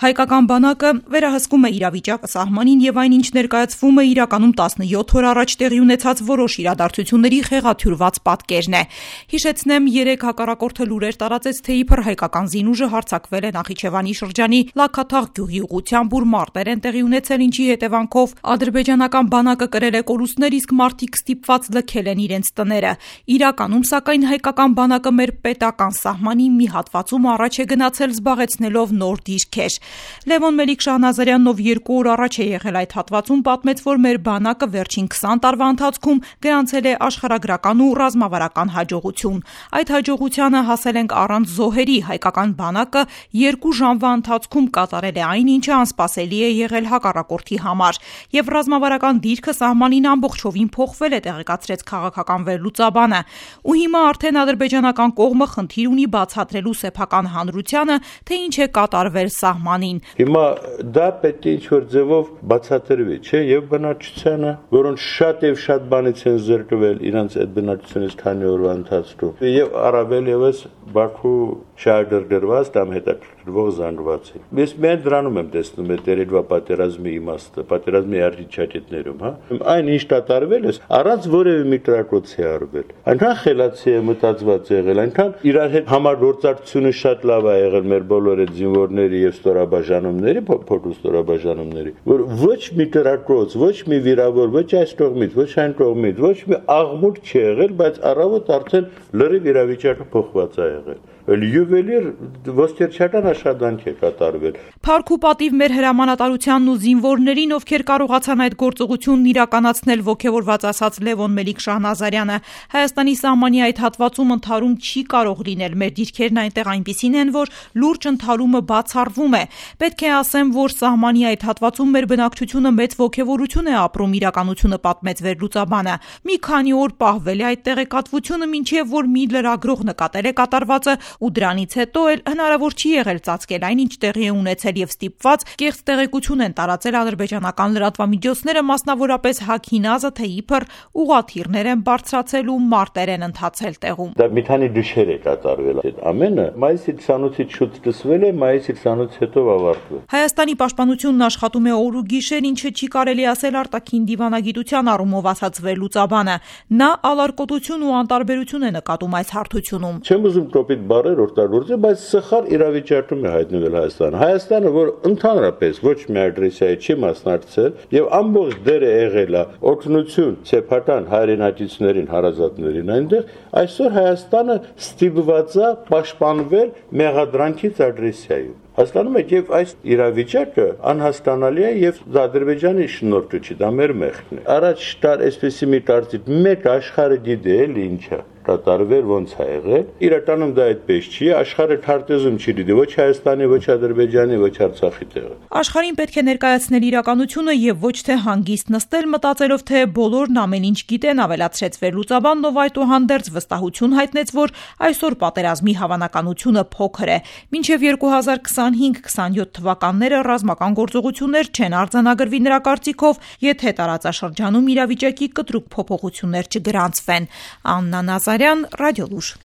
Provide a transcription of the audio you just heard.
Հայկական բանակը վերահսկում է իրավիճակը սահմանին եւ այն, ինչ ներկայացվում է իրականում 17 օր առաջ տեղի ունեցած որոշ իրադարձությունների խեղաթյուրված պատկերն է։ Հիշեցնեմ, 3 հակառակորդը լուրեր տարածեց, թե իբր հայկական զինուժը հարձակվել է Նախիջևանի շրջանի Լաքաթաղ գյուղի ուղղությամբ, ուր մարտեր են տեղի ունեցել, ինչի հետևանքով ադրբեջանական բանակը կրել է կորուստներ, իսկ մարդիկ ստիպված լքել են իրենց տները։ Իրականում, սակայն, հայկական բանակը մեր պետական սահմանի մի հատվածում առաջ է գնացել, զբաղեցնելով նոր դիրքեր։ Լևոն Մելիք-Շահնազարյանն, ով 2 օր առաջ է եղել այդ հատվածում, պատմեց, որ մեր բանակը վերջին 20 տարվա ընթացքում գրանցել է աշխարհագրական ու ռազմավարական հաջողություն։ Այդ հաջողությանը հասել ենք առանց զոհերի։ Հայկական բանակը 2 ժամվա ընթացքում կատարել է այն, ինչը անսպասելի է եղել հակառակորդի համար, եւ ռազմավարական դիրքը սահմանին ամբողջովին փոխվել է, տեղեկացրեց քաղաքական վերլուծաբանը։ Ու հիմա արդեն ադրբեջանական կողմը խնդիր ունի բացատրելու սեփական հանրությանը, թե ինչ է կատարվել սահմանին։ Հիմա դա պետք է ինչ-որ ձևով բացատրվի, չէ՞, եւ բնակչությանը, որոնց շատ եւ շատ բանից են զրկվել իրենց այդ բնակչությունից քանի օրվա ընթացքում, եւ առավել եւս Բաքու շահագրգռված կամ հետաքրքրվող զանգվածի։ Ես միայն դրանում եմ տեսնում այդ երեկվա պատերազմի իմաստը, պատերազմի արտիճակետներում, հա։ Այն ինչ կատարվել է, առանց որևէ մի կրակոցի արվել։ Այնքան խելացի է մտածված եղել, այնքան իրար հետ համագործակցությունը շատ լավ է եղել մեր բոլոր այդ զինվորների եւ ստորաբաժանումների, փոքր ստորաբաժանումների, որ ոչ մի կրակոց, ոչ մի վիրավոր, ոչ այս կողմից, ոչ այն կողմից, ոչ մի աղմուկ չի եղել, բայց առավոտ արդեն լրիվ իրավիճակը փոխված է եղել։ Յուվելիր ոստիչական աշխատանք է կատարվել։ Փառք ու պատիվ մեր հրամանատարությանն ու զինվորներին, ովքեր կարողացան այդ գործողությունն իրականացնել, ոգևորված ասաց Լևոն Մելիք-Շահնազարյանը։ Հայաստանի սահմանի այդ հատվածում ընդհարում չի կարող լինել։ Մեր դիրքերն այնտեղ այնպիսին են, որ լուրջ ընդհարումը բացառվում է։ Պետք է ասեմ, որ սահմանի այդ հատվածում մեր բնակչությունը մեծ ոգևորություն է ապրում, իրականությունը պատմեց վերլուծաբանը։ Մի քանի օր պահվել է այդ տեղեկատվությունը, մինչև որ մի լրագրող նկատել է կատարվածը, ու դրանից հետո էլ հնարավոր չի եղել ծածկել այն, ինչ տեղի է ունեցել, եւ ստիպված կեղծ տեղեկություն են տարածել ադրբեջանական լրատվամիջոցները, մասնավորապես Հաքինազը, թե իբր ուղղաթիռներ են բարձրացել ու մարտեր են ընթացել տեղում։ Դա մի քանի գիշեր է կատարվել։ Այդ ամենը մայիսի 28-ից շուտ սկսվել է, մայիսի 28-ից հետո ավարտվել։ Հայաստանի պաշտպանությունն աշխատում է օր ու գիշեր, ինչը չի կարելի ասել արտաքին դիվանագիտության առումով, ասաց վերլուծաբանը։ Նա ալարկոտություն ու անտարբերություն է նկատում այս հարթությունում։ Չեմ ուզում կոպիտ բառեր օգտագործել, բայց սխալ իրավիճակում է հայտնվել Հայաստանը։ Հայաստանը, որ ընդհանրապես ոչ մի ագրեսիայի չի մասնակցել եւ ամբողջ դերը եղել է օգնություն սեփական հայրենակիցներին, հարազատներին այնտեղ, այսօր Հայաստանը ստիպված է պաշտպանվել մեղադրանքից ագրեսիայով։ Հասկանում եք, եւ այս իրավիճակը անհասկանալի է եւ Ադրբեջանի շնորհքը չի, դա մեր մեղքն է։ Առաջ կար այսպեսի մի կարծիք, մեկ աշխարհը գիտե էլի ինչա կատարվել, ոնց է եղել։ Իրականում դա այդպես չի, աշխարհը քարտեզում չի դիտի ոչ Հայաստանի, ոչ Ադրբեջանի, ոչ Արցախի տեղը։ Աշխարհին պետք է ներկայացնել իրականությունը եւ ոչ թե հանգիստ նստել մտածելով, թե բոլորն ամեն ինչ գիտեն, ավելացրեց վերլուծաբանն, ով այդուհանդերձ վստահություն հայտնեց, որ այսօր պատերազմի հավանականությունը փոքր է։ Մինչեւ 2025-27 թվականները ռազմական գործողություններ չեն արձանագրվի նրա կարծիքով, եթե տարածաշրջանում իրավիճակի կտրուկ փոփոխություններ չգրանցվեն։ Աննա Նազարյան, Ռադիոլուր։